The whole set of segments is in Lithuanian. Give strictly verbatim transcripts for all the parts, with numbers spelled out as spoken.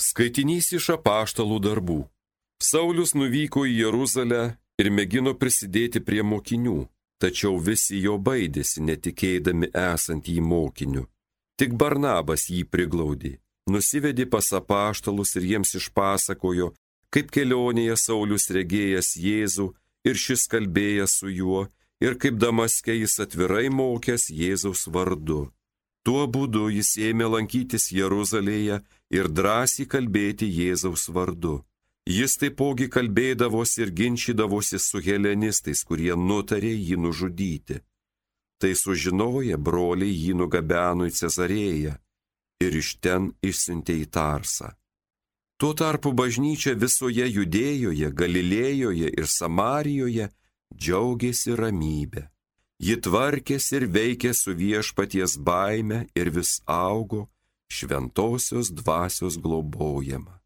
Skaitinys iš apaštalų darbų. Saulius nuvyko į Jeruzalę ir mėgino prisidėti prie mokinių, tačiau visi jo baidėsi, netikėdami esant jį mokiniu. Tik Barnabas jį priglaudė, nusivedė pas apaštalus ir jiems išpasakojo, kaip kelionėje Saulius regėjęs Jėzų ir šis kalbėjęs su juo, ir kaip Damaske jis atvirai mokęs Jėzaus vardu. Tuo būdu jis ėmė lankytis Jeruzalėje ir drąsiai kalbėti Jėzaus vardu. Jis taipogi kalbėdavosi ir ginčydavosi su helenistais, kurie nutarė jį nužudyti. Tai sužinoję, broliai jį nugabeno į Cezarėją ir iš ten išsiuntė į Tarsą. Tuo tarpu bažnyčia visoje Judėjoje, Galilėjoje ir Samarijoje džiaugėsi ramybę. Ji tvarkėsi ir veikė su viešpaties baime ir vis augo šventosios dvasios globojama.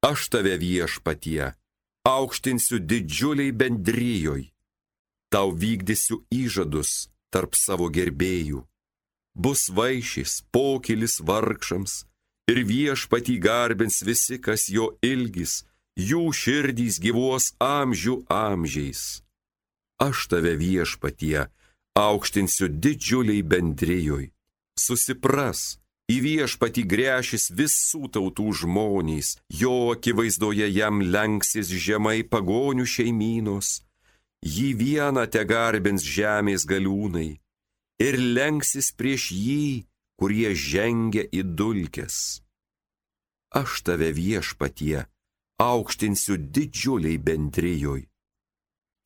Aš tave viešpatie aukštinsiu didžiuliai bendrijoj, tau vykdysiu įžadus tarp savo gerbėjų. Bus vaišis, pokylis vargšams ir viešpatį garbins visi, kas jo ilgis, jų širdys gyvuos amžių amžiais. Aš tave viešpatie aukštinsiu didžiuliai bendrijoj. Susipras, į viešpatį gręšis visų tautų žmonės, jo akivaizdoje jam lenksis žemai pagonių šeimynos, jį vieną te garbins žemės galiūnai ir lenksis prieš jį, kurie žengia į dulkes. Aš tave viešpatie aukštinsiu didžiuliai bendrijoj.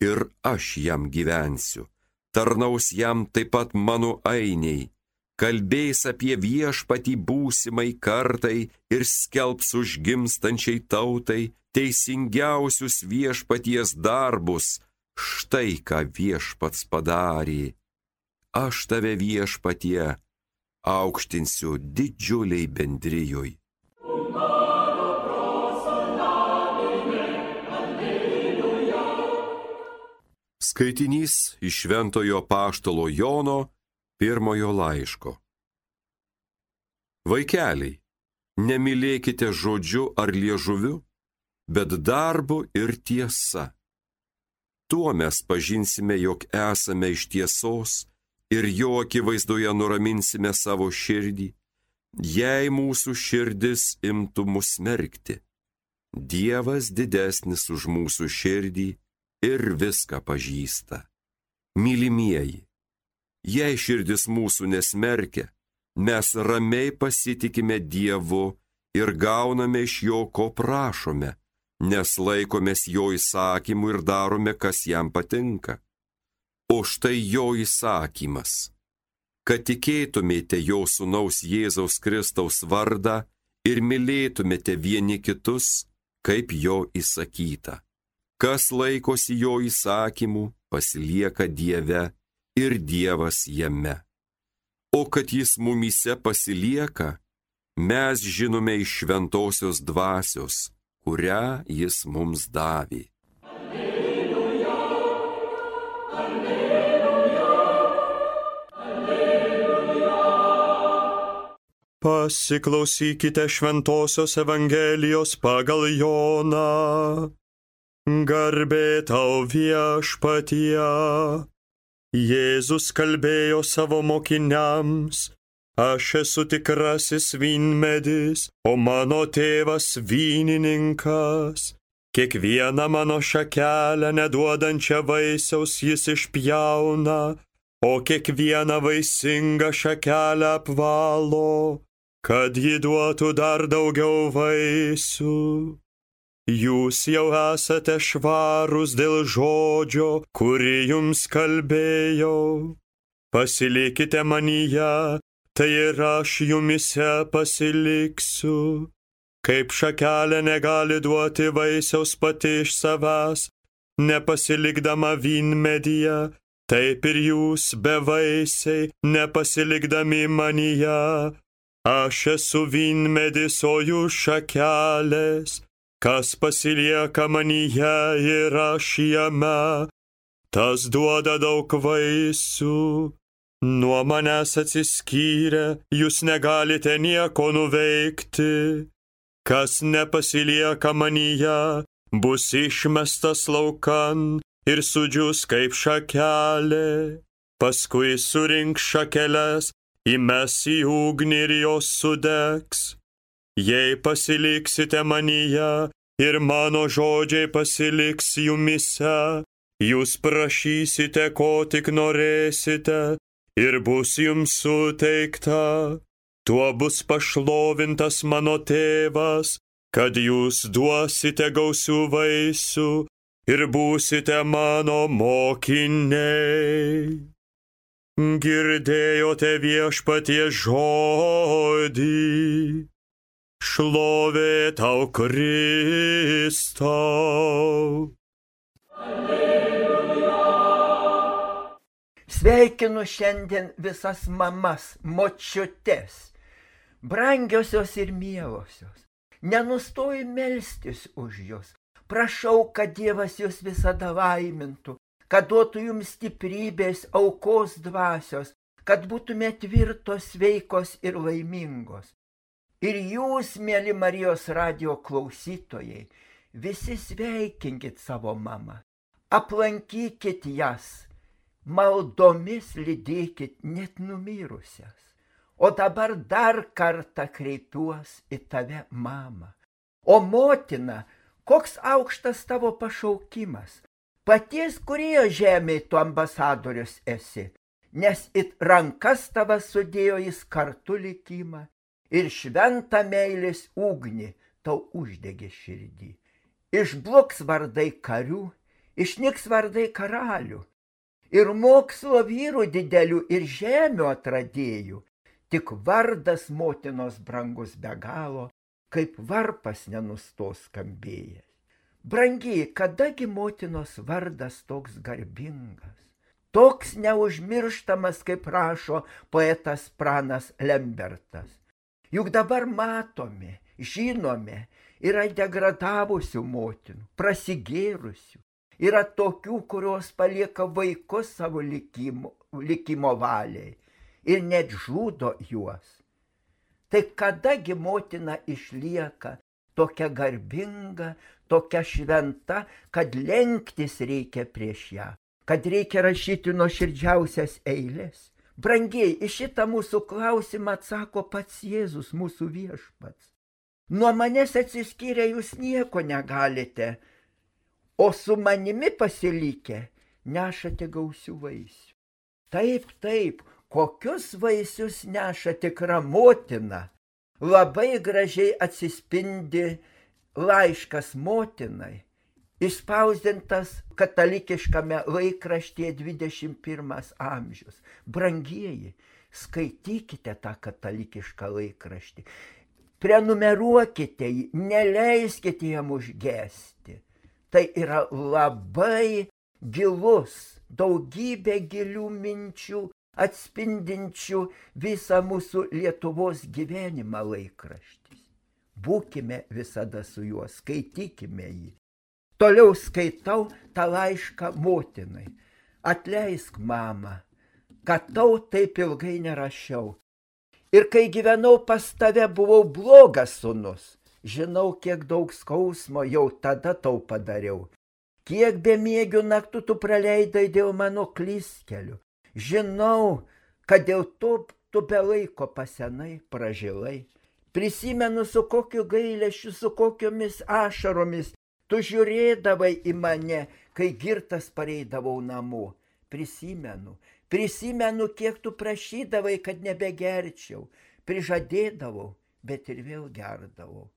Ir aš jam gyvensiu, tarnaus jam taip pat mano ainiai, kalbės apie viešpatį būsimai kartai ir skelbs užgimstančiai tautai teisingiausius viešpaties darbus, štai ką viešpats padarė. Aš tave viešpatie aukštinsiu didžiuliai bendrijoj. Skaitinys iš Šventojo apaštalo Jono pirmojo laiško. Vaikeliai, nemylėkite žodžiu ar liežuviu, bet darbu ir tiesa. Tuo mes pažinsime, jog esame iš tiesos ir jo akivaizdoje nuraminsime savo širdį, jei mūsų širdis imtų mus smerkti. Dievas didesnis už mūsų širdį ir viską pažįsta. Mylimieji, jei širdis mūsų nesmerkia, mes ramiai pasitikime Dievu ir gauname iš jo, ko prašome, nes laikomės jo įsakymų ir darome, kas jam patinka. O štai jo įsakymas, kad tikėtumėte jo sūnaus Jėzaus Kristaus vardą ir mylėtumėte vieni kitus, kaip jo įsakyta. Kas laikosi jo įsakymų, pasilieka Dieve ir Dievas jame. O kad jis mumyse pasilieka, mes žinome iš šventosios dvasios, kurią jis mums davė. Alleluja, alleluja, alleluja. Pasiklausykite šventosios Evangelijos pagal Joną. Garbė tau viešpatie. Jėzus kalbėjo savo mokiniams, aš esu tikrasis vynmedis, o mano tėvas vynininkas. Kiekvieną mano šakelę neduodančią vaisiaus jis išpjauna, o kiekvieną vaisingą šakelę apvalo, kad ji duotų dar daugiau vaisių. Jūs jau esate švarūs dėl žodžio, kurį jums kalbėjau. Pasilikite manyje, tai ir aš jumise pasiliksiu. Kaip šakelė negali duoti vaisiaus pati iš savęs, nepasilikdama vynmedyje, taip ir jūs bevaisiai, nepasilikdami manyje. Aš esu vynmedis, o jūs šakelės. Kas pasilieka manyje ir aš jame, tas duoda daug vaisių, Nuo manęs atsiskyrę, jūs negalite nieko nuveikti. Kas nepasilieka manyje, bus išmestas laukan ir sudžius kaip šakelė. Paskui surink šakeles, įmes į ugnį ir jos sudegs. Jei pasiliksite manyje ir mano žodžiai pasiliks jumyse, jūs prašysite, ko tik norėsite, ir bus jums suteikta. Tuo bus pašlovintas mano tėvas, kad jūs duosite gausių vaisių ir būsite mano mokiniai. Girdėjote Viešpaties žodį. Šlovė tau, Kristau. Sveikinu šiandien visas mamas, močiutes, brangiosios ir mielosios. Nenustoju melstis už jūs. Prašau, kad Dievas jūs visada laimintų, kad duotų jums stiprybės, aukos dvasios, kad būtumėte tvirtos, sveikos ir laimingos. Ir jūs, mėly Marijos radijo klausytojai, visi sveikinkit savo mamą, aplankykit jas, maldomis lydėkit net numirusias. O dabar dar kartą kreipiuos į tave, mama. O motina, koks aukštas tavo pašaukimas. Paties kurioje žemėje tu ambasadorius esi, nes it rankas tavas sudėjo jis kartu likimą ir šventą meilės ugnį tau uždegė širdį. Išbluks vardai karių, išnyks vardai karalių, ir mokslo vyrų didelių ir žemių atradėjų, tik vardas motinos brangus be galo, kaip varpas nenustos skambėjęs. Brangiai, kadagi motinos vardas toks garbingas, toks neužmirštamas, kaip rašo poetas Pranas Lembertas. Juk dabar matome, žinome, yra degradavusių motinų, prasigėrusių, yra tokių, kurios palieka vaikus savo likimo, likimo valiai ir net žudo juos. Tai kadagi motina išlieka tokia garbinga, tokia šventa, kad lenktis reikia prieš ją, kad reikia rašyti nuoširdžiausias eilės. Brangiai, į šitą mūsų klausimą atsako pats Jėzus, mūsų viešpats. Nuo manęs atsiskyrę jūs nieko negalite, o su manimi pasilikę nešate gausių vaisių. Taip, taip, kokius vaisius neša tikra motina. Labai gražiai atsispindi laiškas motinai, išspausdintas katalikiškame laikraštyje dvidešimt pirmas amžius. Brangieji, skaitykite tą katalikišką laikraštį, prenumeruokite jį, neleiskite jam užgesti. Tai yra labai gilus, daugybė gilių minčių, atspindinčių visą mūsų Lietuvos gyvenimą laikraštis. Būkime visada su juo, skaitykime jį. Toliau skaitau tą laišką motinai. Atleisk, mama, kad tau taip ilgai nerašiau. Ir kai gyvenau pas tave, buvau blogas sūnus. Žinau, kiek daug skausmo jau tada tau padariau. Kiek bemiegių naktų tu praleidai dėl mano klystkelių. Žinau, kad dėl to tu be laiko pasenai, pražilai. Prisimenu, su kokiu gailesčiu, su kokiomis ašaromis tu žiūrėdavai į mane, kai girtas pareidavau namo. Prisimenu, prisimenu, kiek tu prašydavai, kad nebegerčiau. Prižadėdavau, bet ir vėl gerdavau.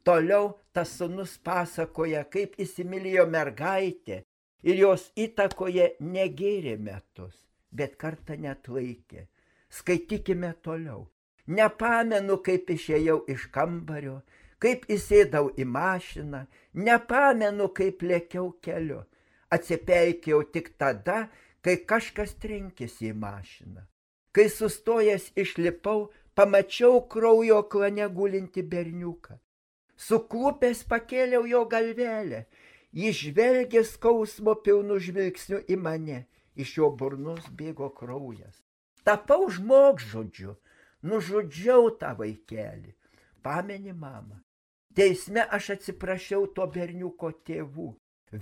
Toliau tas sūnus pasakoja, kaip įsimylėjo mergaitę ir jos įtakoje negėrė metus, bet kartą neatlaikė. Skaitykime toliau. Nepamenu, kaip išėjau iš kambario, kaip įsėdau į mašiną, nepamenu, kaip lėkiau keliu. Atsipeikėjau tik tada, kai kažkas trenkėsi į mašiną. Kai sustojęs išlipau, pamačiau kraujo klane gulinti berniuką. Suklupęs pakėliau jo galvelę, jis žvelgė skausmo pilnu žvilgsniu į mane, iš jo burnos bėgo kraujas. Tapau žmogžudžiu, nužudžiau tą vaikelį. Pameni, mama? Teisme aš atsiprašiau to berniuko tėvų,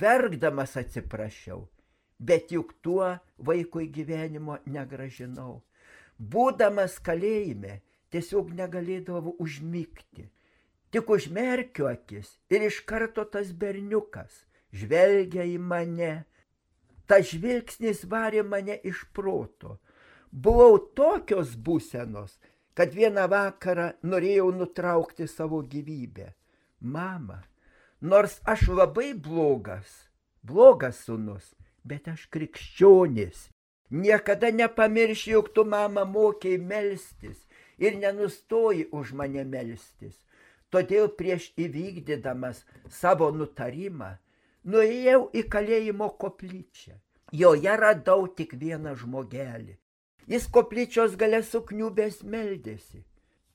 verkdamas atsiprašiau, bet juk tuo vaikui gyvenimo negražinau. Būdamas kalėjime, tiesiog negalėdavau užmigti. Tik užmerkiu akis ir iš karto tas berniukas žvelgia į mane. Ta žvilgsnis varė mane iš proto. Buvau tokios būsenos, kad vieną vakarą norėjau nutraukti savo gyvybę. Mama, nors aš labai blogas, blogas sūnus, bet aš krikščionis. Niekada nepamiršiu, jog tu, mama, mokėjai melstis ir nenustoji už mane melstis. Todėl prieš įvykdydamas savo nutarimą, nuėjau į kalėjimo koplyčią. Joje radau tik vieną žmogelį. Jis koplyčios gale sukniubęs meldėsi.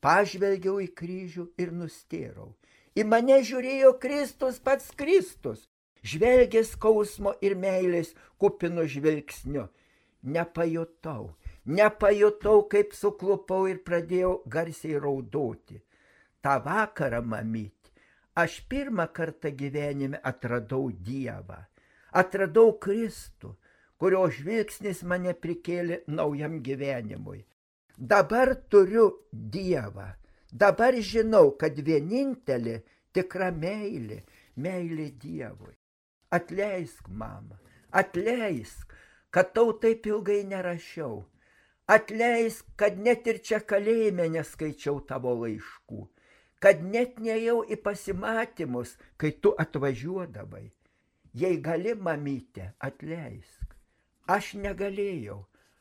Pažvelgiau į kryžių ir nustėrau. Į mane žiūrėjo Kristus, pats Kristus, žvelgė skausmo ir meilės kupinu žvilgsniu. Nepajutau, nepajutau, kaip suklupau ir pradėjau garsiai raudoti. Ta vakarą, mamyt, aš pirmą kartą gyvenime atradau Dievą. Atradau Kristų, kurio žvilgsnis mane prikėlė naujam gyvenimui. Dabar turiu Dievą. Dabar žinau, kad vienintelė tikra meilė, meilė Dievui. Atleisk, mama, atleisk, kad tau taip ilgai nerašiau. Atleisk, kad net ir čia kalėjime neskaičiau tavo laiškų. Kad net neėjau į pasimatymus, kai tu atvažiuodavai. Jei gali, mamyte, atleisk. Aš negalėjau.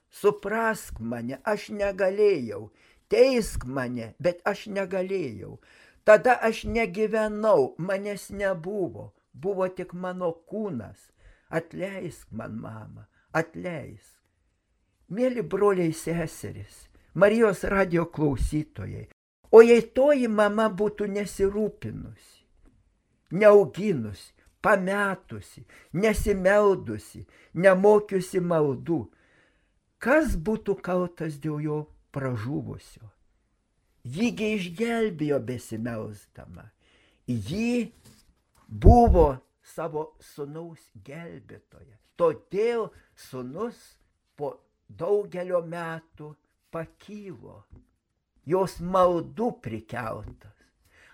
Suprask mane, aš negalėjau. Teisk mane, bet aš negalėjau. Tada aš negyvenau, manęs nebuvo. Buvo tik mano kūnas. Atleisk man, mama, atleisk. Mėly broliai seserys, Marijos radijo klausytojai, o jei toji mama būtų nesirūpinusi, neauginusi, pametusi, nesimeldusi, nemokiusi maldų, kas būtų kaltas dėl jo pražuvusio? Jįgi išgelbėjo besimelsdama. Ji buvo savo sūnaus gelbėtoja. Todėl sūnus po daugelio metų pakylo. Jos maldų prikeltas.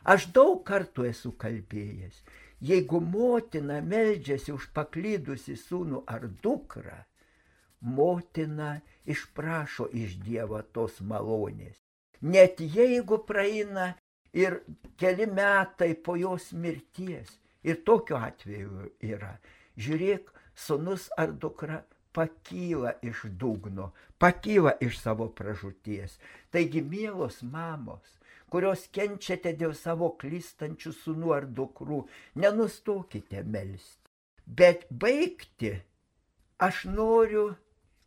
Aš daug kartų esu kalbėjęs. Jeigu motina meldžiasi už paklydusi sūnų ar dukrą, motina išprašo iš Dievo tos malonės. Net jeigu praeina ir keli metai po jos mirties, ir tokiu atveju yra, žiūrėk, sūnus ar dukra pakyla iš dugno, pakyla iš savo pražūties. Taigi, mielos mamos, kurios kenčiate dėl savo klystančių sūnų ar dukrų, nenustokite melsti. Bet baigti aš noriu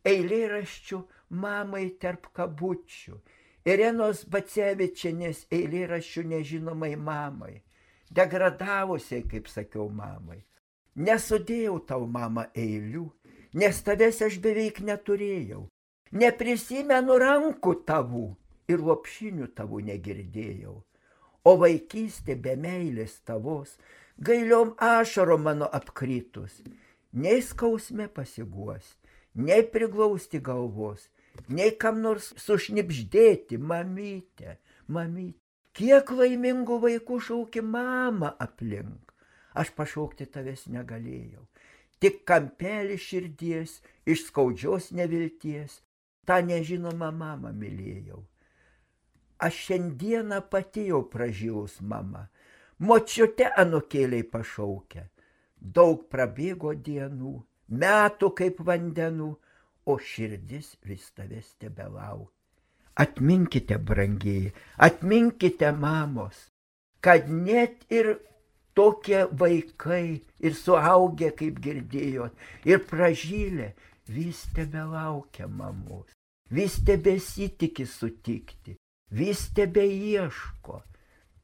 eilėraščių mamai tarp kabučių, Irenos Bacevičienės eilėraščių nežinomai mamai, degradavusiai, kaip sakiau, mamai. Nesudėjau tau, mama, eilių, nes tavęs aš beveik neturėjau. Neprisimenu rankų tavų ir lopšinių tavų negirdėjau. O vaikystė be meilės tavos, gailiom ašarom mano apkritus, nei skausme pasiguosti, nei priglausti galvos, nei kam nors sušnibždėti, mamyte, mamyte. Kiek laimingų vaikų šauki mama aplink. Aš pašaukti tavęs negalėjau. Tik kampelį širdies, iš skaudžios nevilties, tą nežinomą mamą mylėjau. Aš šiandieną pati jau pražilus mama, močiute anūkėliai pašaukia. Daug prabėgo dienų, metų kaip vandenų, o širdis vis tavęs tebelaukia. Atminkite, brangieji, atminkite, mamos, kad net ir tokie vaikai ir suaugę, kaip girdėjot, ir pražylę, vis tebelaukia mamos, vis tebesitikį sutikti, vis tebeieško.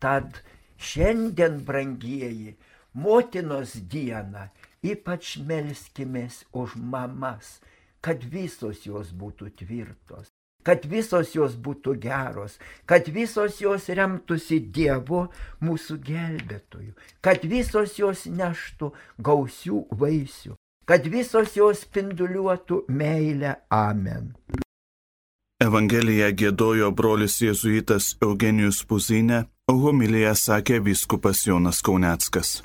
Tad šiandien, brangieji, motinos dieną, ypač melskimės už mamas, kad visos jos būtų tvirtos. kad visos jos būtų geros, kad visos jos remtųsi Dievu mūsų gelbėtoju, kad visos jos neštų gausių vaisių, kad visos jos spinduliuotų meilę. Amen. Evangeliją giedojo brolis jėzuitas Eugenijus Puzinė, o homiliją sakė vyskupas Jonas Kauneckas.